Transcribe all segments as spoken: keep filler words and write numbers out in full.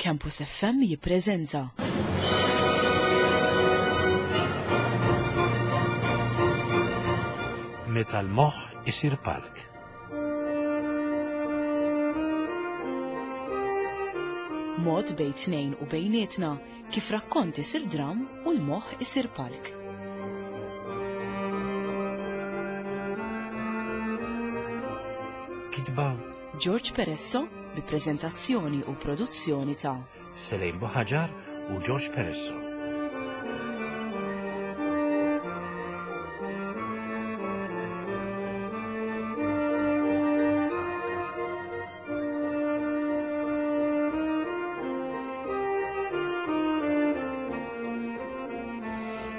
Campus F M jippreżenta Meta l-moħħ isir palk. Mod bejn tnejn u bejnietna kif rakkont isir dram u l-moħħ isir palk. Kitba George Peresso bi preżentazzjoni u produzzjoni ta' Selejn Buħaġar u George Peresso.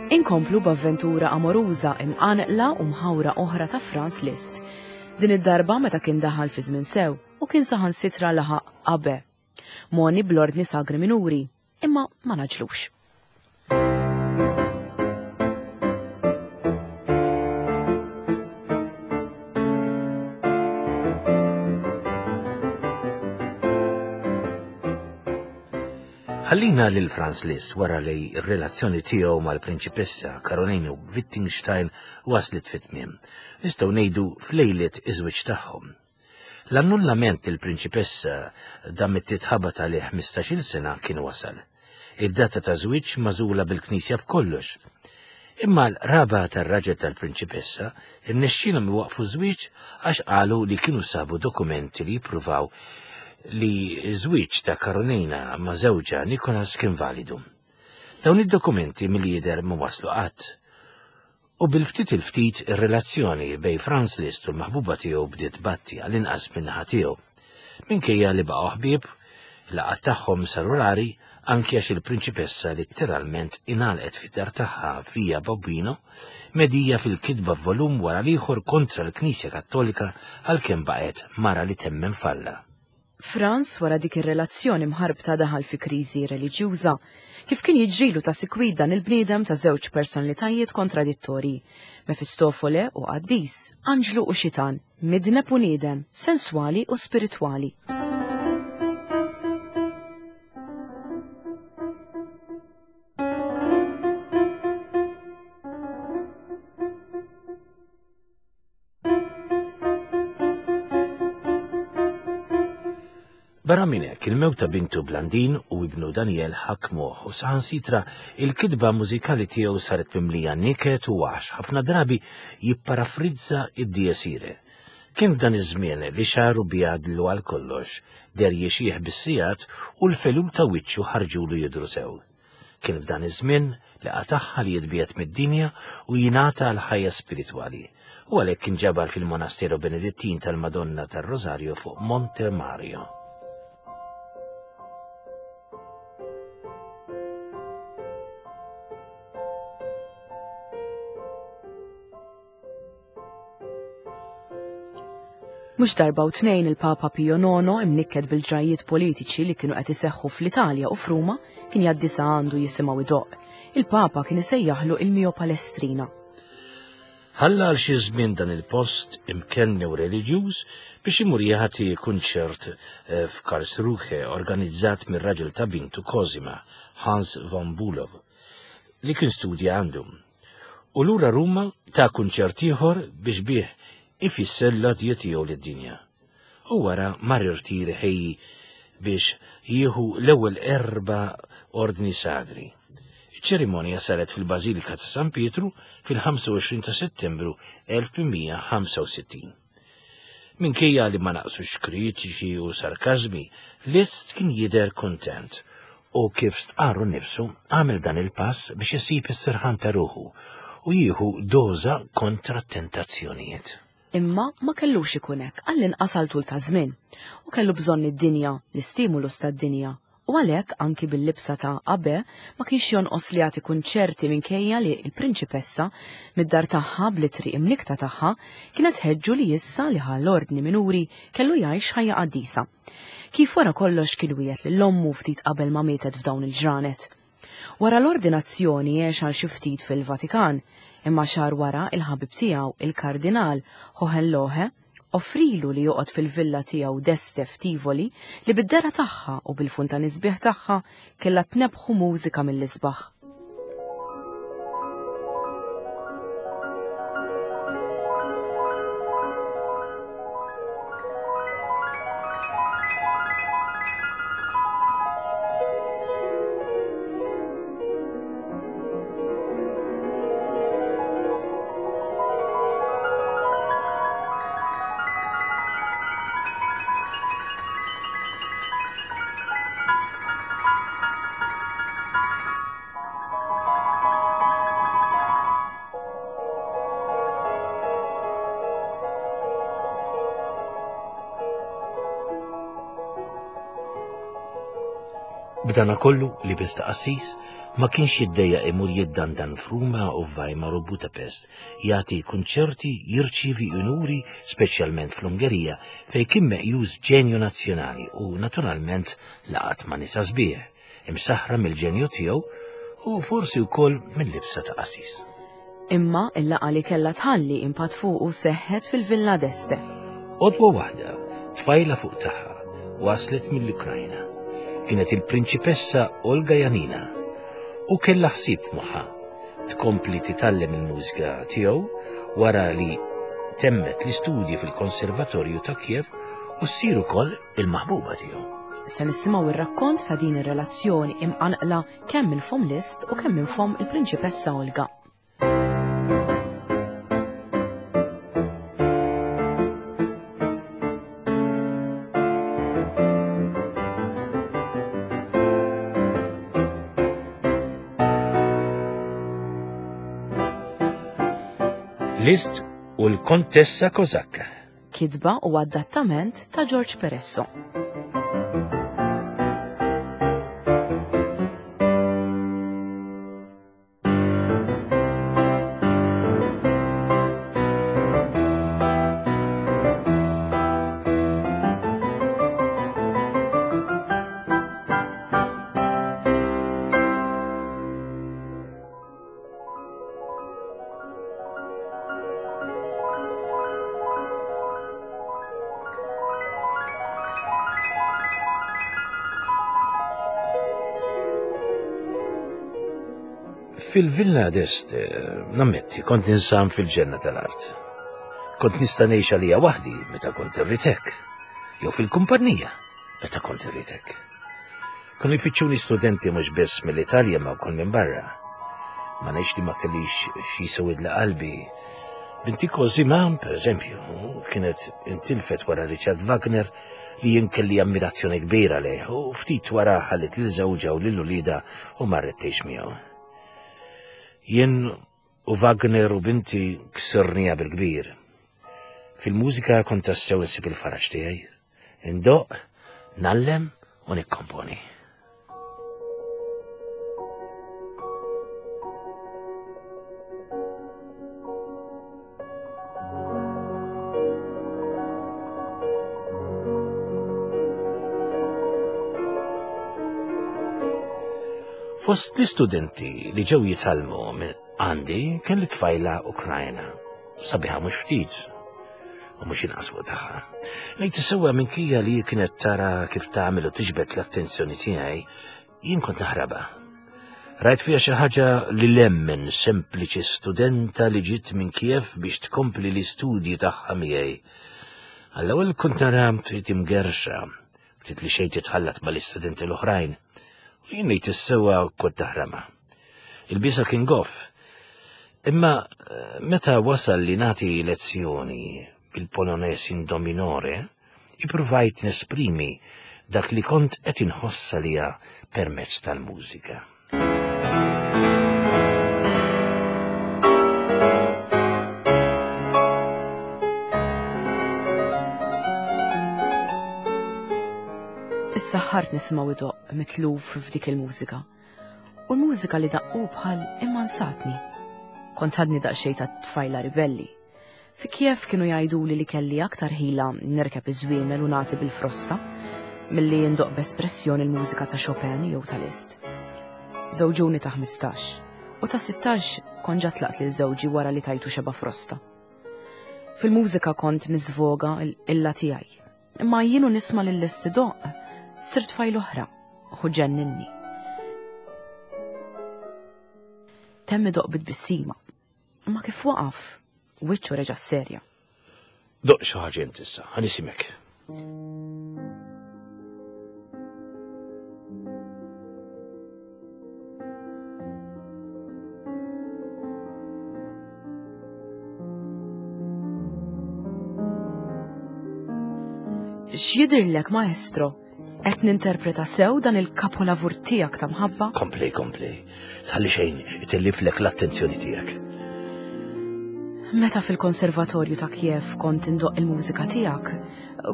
Inkomplu b'avventura amoruża imqanqla u mħawra oħra ta' Franz Liszt. Din id-darba meta kien daħal fi żmien sew u kien saħansitra laħaq abbé. Moni bl-ordni sagri minuri, imma ma naġlux. Ħallina lil Franz Liszt wara li r-relazzjoni tiegħu mal-prinċipessa Caroline Wittgenstein waslet fit-tmiem. Nistgħu ngħidu f'lejlet iż-żwieġ tagħhom. L-annullament li l-prinċipessa damet titħabat għalih ħmistax-il sena kien wasal. Id-data ta' żwieġ magħżula bil-Knisja b'kollox. Imma l-raba tar-raġel tal-prinċipessa irnexxielhom iwaqfu żwieġ għax qalu li kienu sabu dokumenti li jippruvaw li żwieġ ta' Karolina ma' żewġha Nikolas kien validu. Dawn id-dokumenti mill-jidher ma waslu qatt. U bil-ftit il-ftit ir-relazzjoni bejn Franz Liszt u l-maħbuba tiegħu bdiet batti għall-inqas min-naħa tiegħu. Minkejja li baqgħu ħbieb, laqgħat tagħhom saru rari anki għax il-prinċipessa letteralment ingħalqet fid-dar tagħha Via Bobino, medija fil-kitba volum wara l-ieħor kontra l-Knisja Kattolika għalkemm baqgħet mara li temmen falla. Franz wara dik ir-relazzjoni mħarbta daħal fi kriżi reliġjuża, kif kien jiġrilu ta' sikwit dan il-bniedem ta' żewġ personalitajiet kontradittorji, Mefistofole u qaddis, anġlu u xitan, midneb u niedem, senswali u spiritwali. Barra minn hekk, il-mewt ta' bintu Blandin u ibnu Daniel ħakmuh u saħansitra il-kitba mużikali tiegħu saret mimlija niket u waħx, ħafna drabi jipparafrizza id-Dies Irae. Kien f'dan iż-żmien li xaru bjadlu għal kollox, der jixjieħ bis-sigħat u l-felul ta' wiċċu ħarġulu jidhru sew. Kien f'dan iż-żmien li qatagħha li jitbiegħed mid-dinja u jingħata għal ħajja spiritwali. U għalhekk kien ġabar fil-Monasteru Benedittin tal-Madonna tar-Rosario fuq Monte Mario. Mhux darba u tnejn il-Papa Pio Nono imnikket bil-ġrajiet politiċi li kienu qed iseħħu fl-Italja u f'Ruma kien jgħaddi sa għandu jisimgħu idoqq. Il-Papa kien isejjaħlu il-Mio Palestrina. Ħalla għal xi żmien dan il-post imkenni u reliġjuż biex imur jagħti kunċert, eh, f'Karlsruhe organizzat mir-raġel ta' bintu Cosima, Hans von Bülow, li kien studja għandu. U lura Ruma ta' kunċert ieħor biex bih ifisser l-għadja tiegħu lid-dinja. U wara mar irtir ħejji biex jieħu l-ewwel erba' ordni sagri. Iċ-ċerimonja saret fil-Bażilika ta' San Pietru fil-ħamsa u għoxrin ta' Settembru elf tmien ħamsa u sittin. Minkejja li ma naqsux kritiċi u sarkażmi, Liszt kien jidher kuntent u kif stqarru nnifsu għamel dan il-pass biex isib is-serħan ta' ruħu u jieħu doża kontra t-tentazzjonijiet. Imma ma kellux ikun hekk għall-inqas għal tul ta' żmien u kellu bżonn id-dinja, l-istimulus tad-dinja, u għalhekk anki bil-libsa ta' abbé ma kienx jonqos li jagħti kunċerti minkejja li l-prinċipessa mid-dar tagħha bl-itri imnikta tagħha kienet ħeġġu li issa li ħa l-ordni minuri kellu jgħix ħajja qaddisa. Kif wara kollox kien wiegħed lil ommu ftit qabel ma mietet f'dawn il-ġranet. Wara l-ordinazzjoni għex għal xi ftit fil-Vatikan, imma xahar wara il-ħabib tiegħu, il-Kardinal Hohenlohe, Offrilu li joqgħod fil-villa tiegħu d'Este f'Tivoli li bid-dera tagħha u bil-funtani sbieħ tagħha kellha tnebbħu mużika mill-isbaħ. B'dana kollu li biss ta' qassis ma kienx jiddejjaq imur jiddandan f'Ruma u f'Weimar u Budapest, jagħti kunċerti, jirċievi unuri, speċjalment fl-Ungerija, fejn kien meqjus ġenju nazzjonali u naturalment laqat ma' nisa sbieħ, imsaħħra mill-ġenju tiegħu u forsi wkoll mill-libsa ta' qassis. Imma il-laqgħa li kellha tħalli impatt fuqu seħħet fil-Villa d'Este. Għodwa waħda, tfajla fuq tagħha, waslet mill-Ukrajna. Kienet il-prinċipessa Olga Janina u kellha ħsieb f'moħħha tkompli titgħallem il-mużika tiegħu wara li temmet l-istudji fil-Konservatorju ta' Kiev u ssir ukoll il-maħbuba tiegħu. Se nisimgħu ir-rakkont ta' din ir-relazzjoni imqanqla kemm minn fomm Liszt u kemm minn fomm il-prinċipessa Olga. Liszt u l-Kontessa Kozakka. Kitba u adattament ta' George Peresso. Fil-Villa d'Este, nammetti, kont ninsam fil-ġenna tal-art. Kont nista' ngħix għalija waħdi meta kont irrid hekk, jew fil-kumpanija meta kont irrid hekk. Kienu jfittxuni studenti mhux biss mill-Italja ma wkoll minn barra. Ma ngħidx li ma kellix xi jsewwidla qalbi. Binti Cosima, per eżempju, kienet intilfet wara Richard Wagner li jien kelli ammirazzjoni kbira lejh u ftit wara ħallit lil żewġha u lil uliedha u marret tgħix miegħu. Jien u Wagner u binti ksirnija bil-kbir. Fil-mużika kont tassew insib il-faraġ tiegħi. Indoq, nallem u nikkomponi. Fost l-istudenti li ġew jitgħallmu minn għandi kelli tfajla Ukrajna, sabiħa mhux ftit u mhux inqas fuq tagħha. Ngħid sewwa minkejja li kienet tara kif tagħmel u tiġbed l-attenzjoni tiegħi, jien kont naħrabha. Rajt fiha xi ħaġa li lemmen sempliċi studenta li ġiet minn Kiev biex tkompli l-istudji tagħha miegħi. Għall-ewwel kont nara ftit imgerxa, ftit li xejn titħallat mal-istudenti l-oħrajn. U jien ngħid is-sewwa kont taħrama. Il-bisa kien goff. Imma meta wasal li nagħti lezzjoni bil-Polones in do minore, ippruvajt nesprimi dak li kont qed inħoss għalija permezz tal-mużika. Issa ħart nisimgħu idoqq mitluf f'dik il-mużika. U l-mużika li daqqu bħal immansatni. Kont għadni daqsxejn ta' tfajla ribelli. Fi Kiev kienu jgħiduli li kelli aktar ħila nirkeb iż-żwiemel u nagħti bil-frosta milli ndoq b'espressjoni l-mużika ta' Chopin jew ta' Liszt. Żewġuni ta' ħmistax u ta' sittax kont ġa tlaqt lil żewġi wara li tajtu xeba' frosta. Fil-mużika kont niżvoga l-illa tiegħi. Imma jienu nisma' lil Liszt idoqq, sirt fajl oħra u ġenninni. Temm idoqq bit-tbissima. Imma kif waqaf, wiċċu reġa' serja. Doqq xi ħaġa int issa, ħa nisimek. X'jidhirlek, maestro? Qed ninterpreta sew dan il-kapolavur tiegħek ta' mħabba? Kompli, kompli. Tħalli xejn itelliflek l-attenzjoni tiegħek. Meta fil-konservatorju ta' Kiev kont indoqq il-mużika tiegħek,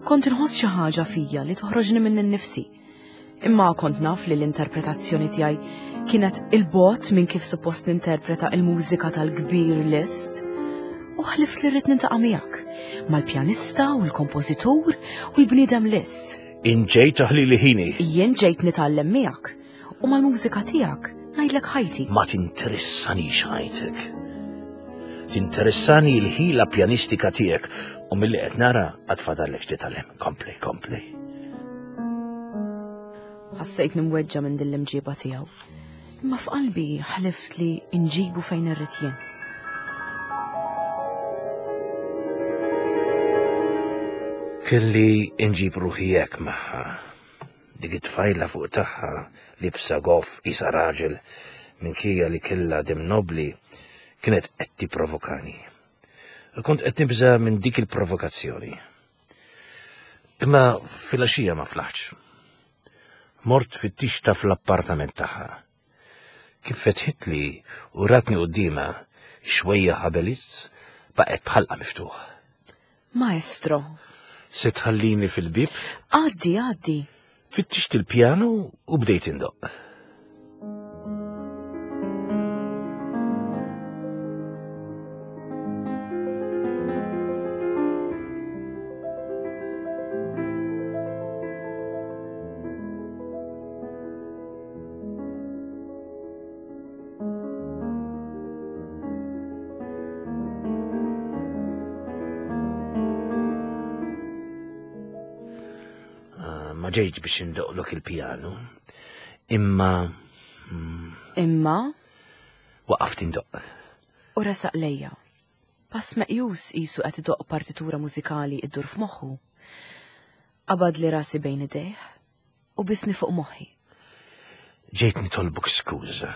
kont inħoss xi ħaġa fija li toħroġni minn innifsi. Imma kont naf li l-interpretazzjoni tiegħi kienet il-bot minn kif suppost ninterpreta il-mużika tal-kbir Liszt. U ħlift li rrid nintaqa' miegħek, mal-pjanista u l-kompożitur u l-bniedem Liszt. Inġejt taħli li ħini. Jien ġejt nitgħallem miegħek u mal-mużika tiegħek ngħidlek ħajti. Ma tinteressanix ħajtek. Tinteressani l-ħila pjanistika tiegħek u milli qed nara għad fadallek titgħallem. Kompli, kompli. Ħassejt nimweġġa minn din l-imġiba tiegħu. Imma f'qalbi ħlift li nġibu fejn irrid jien. Kelli nġib ruħi hekk magħha. Dik it-tfajla fuq tagħha libsa goff isa raġel minkejja li kellha dem nobli kienet qed tipprovokani. Kont qed nibża' minn dik il-provokazzjoni. Imma filgħaxija ma flaħtx. Mort fittixta fl-appartament tagħha. Kif fetħitli u ratni quddiemha xwejja ħabelizz baqgħet bħalqa miftuħ. Maestro. Se tħallini fil-bib? Għaddi, għaddi. Fittixt il-pjanu u bdejt indoqq. Ma ġejtx biex indoqlok il-pjanu, imma... Imma? Waqaft indoq. U resaq lejja. Pass meqjus qisu qed idoqq partitura mużikali iddur f'moħħu. Qabad li rasi bejn idejh u bisni fuq moħħi. Ġejt nitolbok skuża.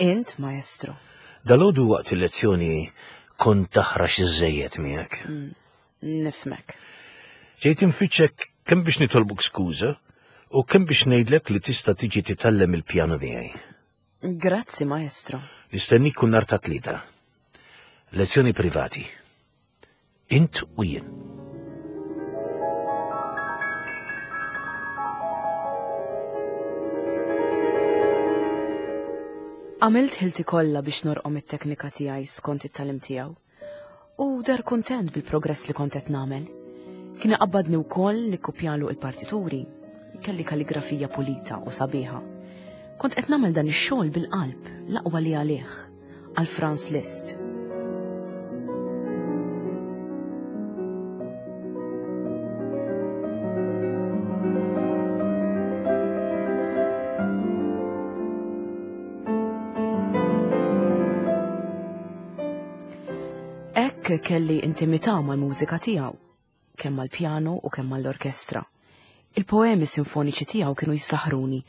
Int, maestro. Dalgħodu waqt il-lezzjoni kont taħrax iżejjed miegħek. Nifmek. Ġejt infittxek kemm biex nitolbok skuża u kemm biex ngħidlek li tista' tiġi titgħallem il-pjanu miegħi. Grazzi, maestro. Nistennik kull nhar ta' tlieta. Lezzjoni privati. Int u jien. Għamilt ħilti kollha biex norqom it-teknika tiegħi skont it-tagħlim tiegħu u dar kuntent bil-progress li kont qed nagħmel. Kien iqabbadni wkoll li kkupjalu il-partituri. Kelli kalligrafija pulita u sabiħa. Kont qed nagħmel dan ix-xogħol bil-qalb, l-aqwa li għalih, għal Franz Liszt. Hekk kelli intimità mal-mużika tiegħu, kemm mal-pjano u kemm mal-orkestra. Il-poemi sinfoniċi tiegħu kienu jsaħħruni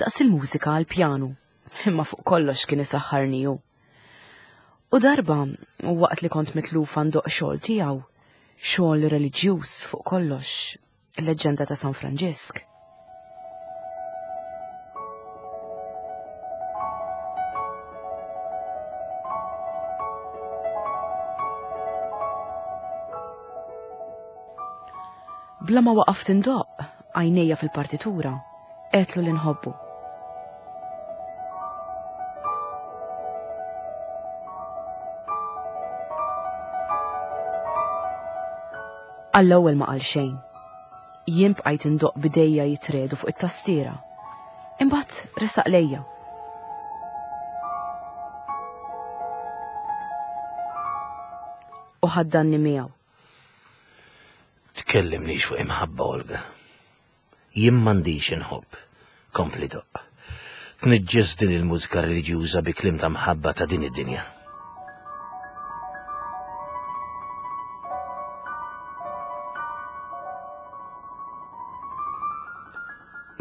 daqs il-mużika għall-pjanu, imma fuq kollox kien isaħħarni hu. U darba, waqt li kont mitlufa ndoq xogħol tiegħu, xogħol reliġjuż fuq kollox, il-leġġenda ta' San Franġisk. Bla ma waqaft indoqq, għajnejja fil-partitura, għedtlu li nħobbu. Għall-ewwel ma qal xejn. Jien bqajt indoqq bidejja jitredu fuq it-tastiera. Imbagħad resaq lejja. U ħaddanni miegħu. Tkellimnix fuq imħabba, Olga. Jien m'għandix inħobb. Kompli doqq. Tniġġes din il-mużika reliġjuża bi kliem ta' mħabba ta' din id-dinja.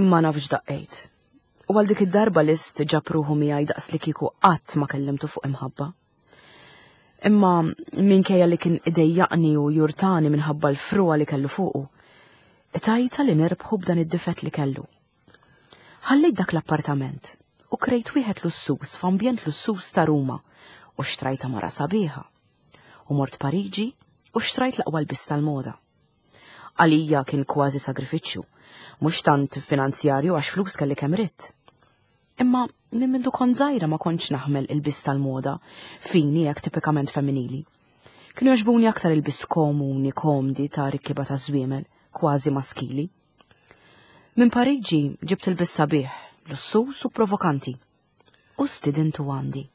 Ma nafx daqqejt. U għal dik id-darba Liszt ġab ruħu miegħi daqs li kieku qatt ma kellimtu fuq imħabba. Imma minkejja li kien idejjaqni u jurtani minħabba l-frua li kellu fuqu, tajta li nerbħu b'dan id-difett li kellu. Ħallejt dak l-appartament u krejt wieħed lussus f'ambjent lussus ta' Ruma u xtrajta mara sabiħa. U mort Pariġi u xtrajt l-aqwa lbies tal-moda. Għalija kien kważi sagrifiċċju, mhux tant finanzjarju għax flus kelli kemm ridt. Imma minn mindu kont żgħira ma kontx naħmel il-bis tal-moda, fini hekk tipikament femminili. Kienu jogħġbuni aktar il-bis komuni, komdi ta' rikkiba ta' żwiemel, kważi maskili. Minn Pariġi ġibt il-bis sabiħ, lussus u provokanti. U stidintu għandi.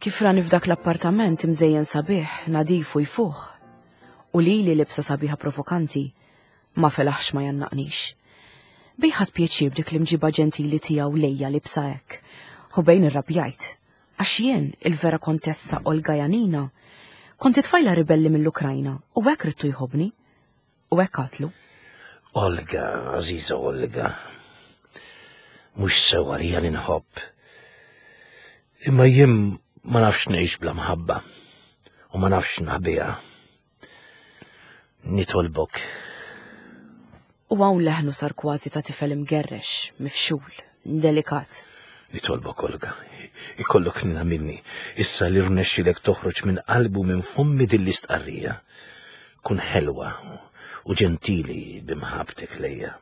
Kif rani f'dak l-appartament imżejjen sabiħ, nadif u jfuħ, u lili libsa sabiħa provokanti, ma felaħx ma jannaqnix. Bejħat pjaċir b'dik l-imġiba ġentili tiegħu lejja libsa hekk, u bejn irrabjajt, għax jien il-vera kontessa Olga Janina, kont tfajla ribelli mill-Ukrajna u hekk ridtu jħobbni, u hekk qatlu. Olga, għażiża Olga, mhux sew għalija li nħobb. Imma jien ma nafx ngħix bla mħabba u ma nafx naħbiha. Nitolbok. U hawn leħnu sar kważi ta' tifel imgerrex, mifxul, delikat. Nitolbok, Olga, ikollok nina minni, issa li rnexxilek toħroġ minn qalbu minn fommi din l-istqarrija. Kun ħelwa u ġentili b'imħabtek lejja.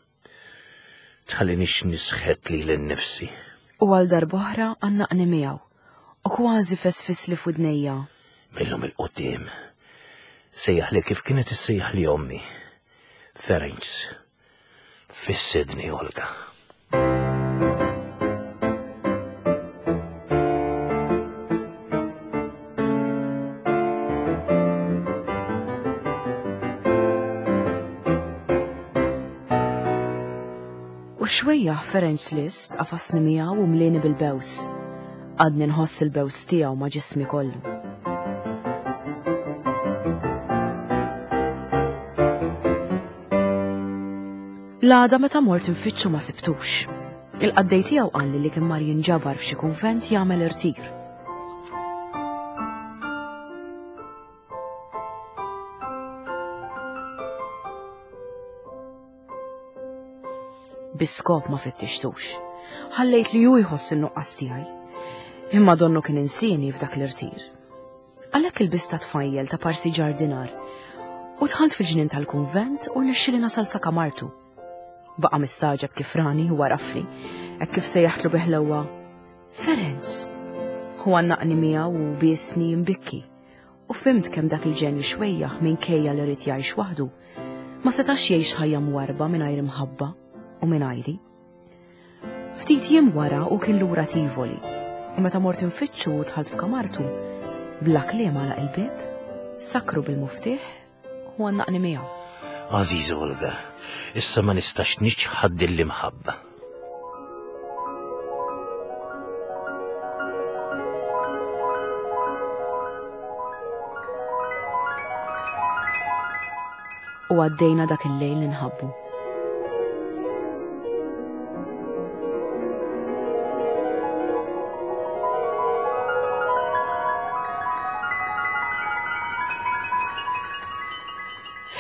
Tħallinix nisħet lili nnifsi. U għal darb'oħra għannaqni miegħu. U kważi fesfis li f'widnejja. Millum il-qudiem. Sejjaħ li kif kienet issejjaħ li ommi. Ferenc. Fissidni, Olga. U xwejjaħ Ferenc Liszt qafasni miegħu u mlieni bil-bews. Għadni nħoss il-bews tiegħu ma' ġismi kollu. L-għada meta mort infittxu ma sibtux. Il-qaddej tiegħu qalli li kien mar jinġabar f'xi kunvent jagħmel irtir. Biskop ma fittixtux. Ħallejt li hu jħoss in-nuqqas tiegħi. Imma donnu kien insini f'dak l-irtir. Għalhekk il-bis ta' tfajjel ta' parsi ġardinar u dħalt fil-ġnien tal-kunvent u rnexxieli nasal sa kamartu. Baqa' mistaġeb kif rani u warafli, hekk kif sejjaħtlu biħlewwa Ferenc. Hu għannaqni miegħu u biesni mbikki. U fhimt kemm dak il-ġenju xwejjaħ minkejja li rid jgħix waħdu, ma setax jgħix ħajja mwarba mingħajr imħabba u mingħajri. Ftit jiem wara u kien lura Tivoli. U meta mort infittxu u dħalt f'kamartu, bla kliem għalaq il-bieb, sakru bil-muftieħ u għannaqni miegħu. Għażiż Olga, issa ma nistax niċħad din l-imħabba. U għaddejna dak il-lejl ninħabbu.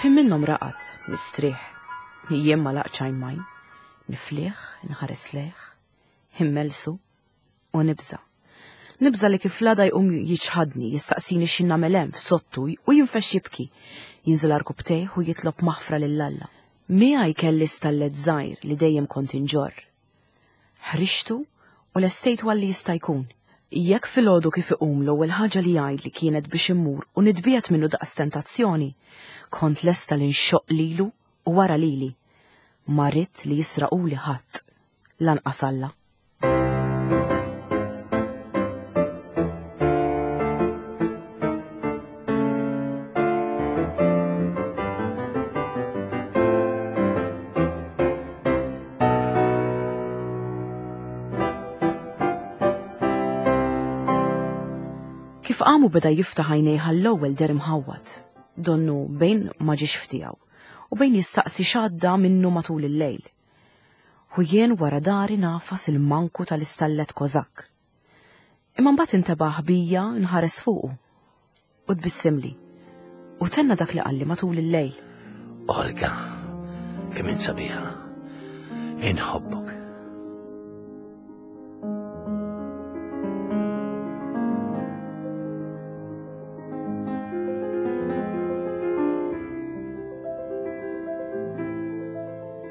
Fim minnhom raqad, nistrieħ, jien ma laqċajn majn, nifliħ, nħares lejh, immelsu u nibża. Nibża li kif l-għada jqum jiċħadni, jistaqsini x'in nagħmel hemm f'sottu u jinfex jibki, jinżel arkubtejh u jitlob maħfra lil Alla. Miegħi kelli stallet żgħir li dejjem kont inġorr. Ħrixtu u lestejtu għalli jista' jkun. Jekk filgħodu kif iqum l-ewwel ħaġa li jgħidli kienet biex immur u nitbiegħed minnu daqs tentazzjoni, kont lesta li nxoqq lilu u wara lili. Ma ridt li jisraquli ħadd, lanqas Alla. Kif qamu beda jiftaħ għajnejh għall-ewwel deher imħawwad, donnu bejn ma ġiex ftiegħu u bejn jistaqsi x'għadda minnu matul il-lejl. U jien wara dari nafas il-manku tal-istallet Kozak. Imma mbagħad intebaħ bija nħares fuqu u tbissimli u tenna dak li qalli matul il-lejl. Olga, kemm int sabiħa. Inħobbok.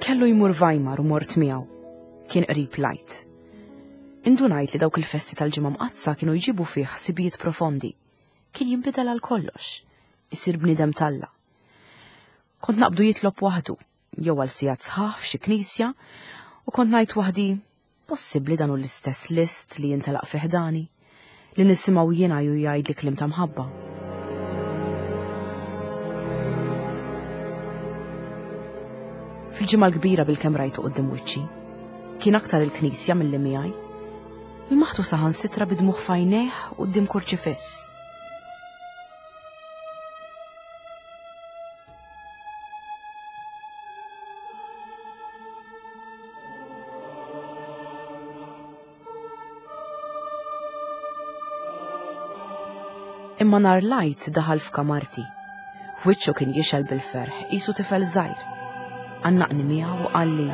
Kellu jmur Weimar u mort miegħu. Kien qrib lajt. Indunajt li dawk il-festi tal-Ġimgħa Mqaddsa kienu jġibu fih ħsibijiet profondi. Kien jinbidel għal kollox, isir bniedem t'Alla. Kont naqbdu jitlob waħdu, jew għal sigħat sħaħ f'xi knisja, u kont ngħid waħdi, possibbli dan hu l-istess Liszt li jintelaq fi ħdani, li nisimgħu jiena ju jgħidli kliem ta' mħabba. Fil-ġimgħa l-kbira bil-kemm rajtu quddiem wiċċi. Kien aktar il-knisja milli miegħi. Il-maħtu saħansitra bidmuħ f'għajnejh quddiem kurċifiss. Imma nhar l-Għid daħal f'kamarti. Wiċċu kien jixgħel bil-ferħ, qisu tifel żgħir. Għannaqni miegħu u qalli: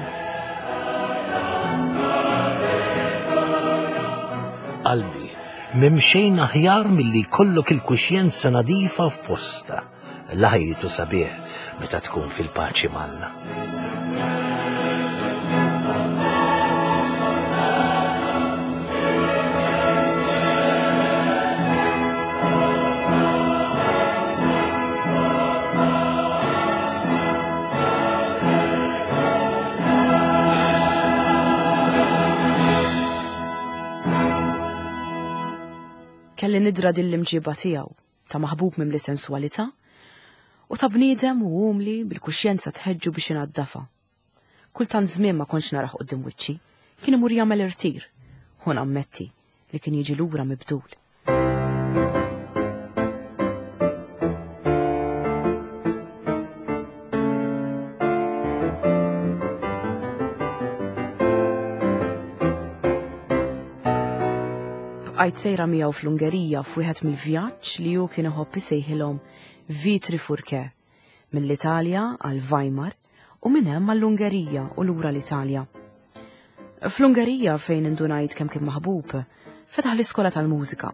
Qalbi, m'hemm xejn aħjar milli jkollok il-kuxjenza nadifa f'posta. L-ħajtu sabiħ meta tkun fil-paċi m'Alla. Kelli nidra din l-imġiba tiegħu ta' maħbub mimli sensualità u ta' bniedem u umli bil-kuxjenza tħeġġu biex inaddafa. Kultant żmien ma kontx naraħ quddiem wiċċi, kien imur jagħmel irtir, u nammetti li kien jiġi lura mibdul. Bqajt sejra miegħu fl-Ungerija f'wieħed mill-vjaġġ li hu kien iħobb isejħilhom Vitri Furke, mill-Italja għal Weimar u minn hemm għall-Ungerija u lura l-Italja. Fl-Ungerija fejn indunajt kemm kien maħbub, fetaħ l-iskola tal-mużika.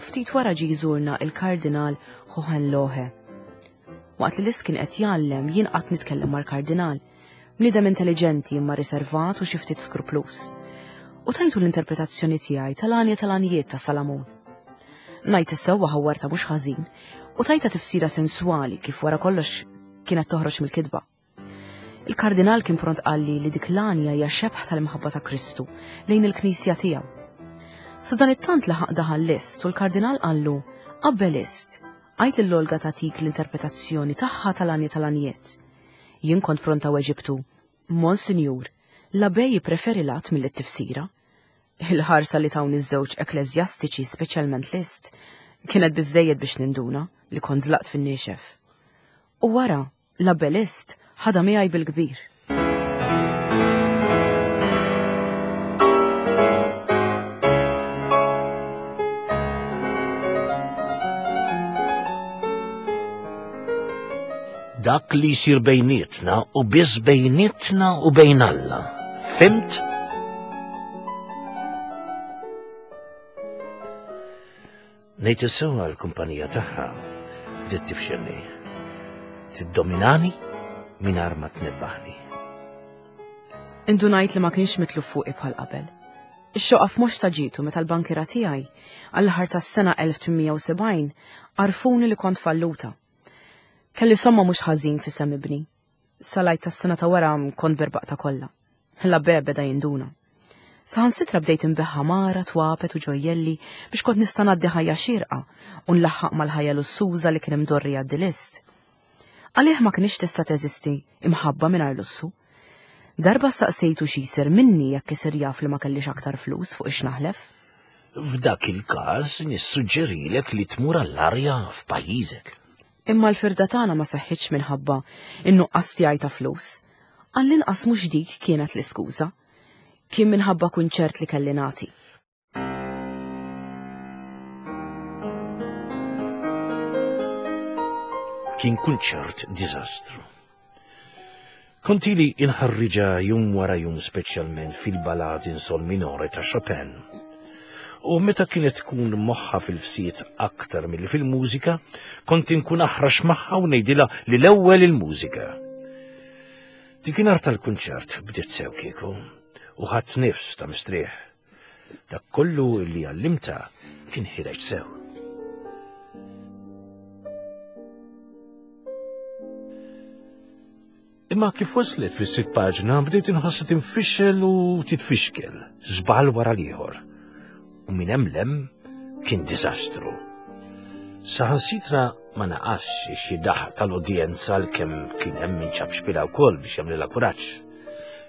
Ftit wara ġie jżurna il-Kardinal Hohenlohe. Waqt li Liszt kien qed jgħallem jien qatt nitkellem mal-Kardinal, bniedem intelligenti imma riservat u xi ftit skruplus. U tajtu l-interpretazzjoni tiegħi tal-għanja tal-għanjiet ta' Salamun. Ngħid is-sewwa ħawwarta mhux ħażin u tajta tifsira sensuali kif wara kollox kienet toħroġ mill-kitba. Il-kardinal kien pront qalli li dik l-għanja hija xebħ tal-imħabba ta' Kristu lejn il-knisja tiegħu. Sa dan it-tant laħaq daħal Liszt u l-kardinal qallu: Qabel Liszt, għid lil Olga tagħtik l-interpretazzjoni tagħha tal-għanja tal-għanjiet. Jien kont pronta weġibtu: Monsinjur, l-abbej jippreferi l-att mill-tifsira. Il-ħarsa li tawni iż-żewġ ekklesjastiċi, speċjalment Liszt, kienet biżżejjed biex ninduna li kont żlaqt fin-niexef. U wara, l-abbej Liszt ħadha miegħi bil-kbir. Dak li jsir bejnietna u biss bejnietna u bejn Alla. Fimt? Ngħid is-sewwa l-kumpanija tagħha bdiet tifxilni. Tiddominani mingħajr ma tnebbaħni. Indunajt li ma kienx mitluf fuqi bħal qabel. Ix-xoqa f'mhux ta' ġietu meta l-bankira tiegħi għall-aħħar tas-sena elf tmien mija u sebgħin għarfuni li kont falluta. Kelli somma mhux ħażin fi sem ibni. Salajt tas-sena ta' wara kont berbaqta kollha. L-abbè beda jinduna. Saħansitra bdejt inbeħħa mara, twapet u ġojjelli biex kont nista' ngħaddi ħajja xierqa u nlaħħaq mal-ħajja lussuża li kien imdorri jgħaddi Liszt. Għalih ma kienx tista' teżisti imħabba mingħajr lussu. Darba staqsejtu xi jsir minni jekk isir jaf li ma kellix aktar flus fuq ix naħlef. F'dak il-każ nissuġġerilek li tmur għall-arja f'pajjiżek. Imma l-firda tagħna ma seħħitx minħabba in-nuqqas tiegħi ta' flus. Għall-inqas mhux dik kienet l-iskuża. Kien minħabba kunċert li kelli nagħti. Kien kunċert diżastru. Kont ili inħarriġa jum wara jum speċjalment fil-balad in sol minore ta' Chopin. U meta kienet tkun moħħa fil-fsiet aktar milli fil-mużika, kont inkun aħrax magħha u ngħidilha li l-ewwel il-mużika. Dikinhar tal-kunċert bdiet sew kieku u ħadd nifs ta' mistrieħ. Dak kollu li għallimta kien ħireġ sew. Imma kif waslet fis-sitt paġna bdejt inħossha tinfixel u titfixkel, żball wara l-ieħor. U minn hemm lem kien diżastru. Saħansitra ma naqasx xi daħ tal-udjenza għalkemm kien hemm min ċab xpila wkoll biex jagħmlilha kuraġġ.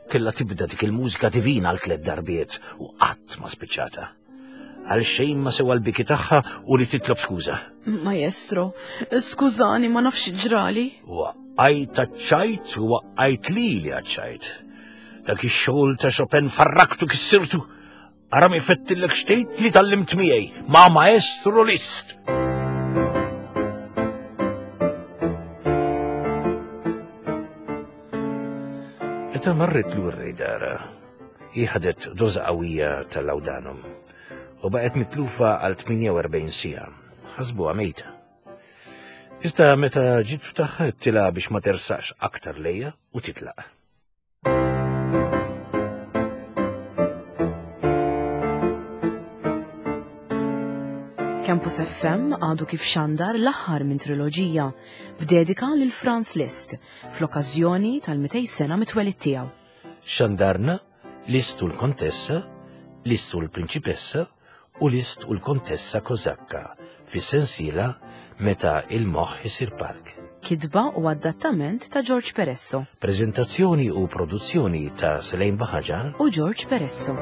Kellha tibda dik il-mużika divina għal tliet darbiet u qatt ma spiċċata. Għal xejn ma sewa l-biki tagħha u li titlob skuża. Maestro, skużani ma nafx ġrali. Waqqajt għaċ-ċajt u waqqajt lili għaċ-ċajt. Dak ix-xogħol ta' Chopin farraktu kissirtu. Ara mi fettillek xtejt li tallimt miegħi ma' Maestro Liszt. Meta marret lura dara, hi ħadet doża qawwija tal-laudanum u baqgħet mitlufa għal tmienja u erbgħin siegħa, ħasbuha mejta. Iżda meta ġiet ftaħ tilha biex ma tersaqx aktar lejja u titlaq. Campus F M għadu kif xandar l-aħħar minn triloġija b'dedika lil Franz Liszt fl-okkażjoni tal-mitej sena mitwelid tiegħu. Xandarna Liszt u l-Kontessa, Liszt u l-Prinċipessa u Liszt u l-Kontessa Kozakka fis-sensiela Meta il-moħħ isir park. Kitba u adattament ta' George Peresso. Prezentazzjoni u produzzjoni ta' Selene Baħaġar u George Peresso.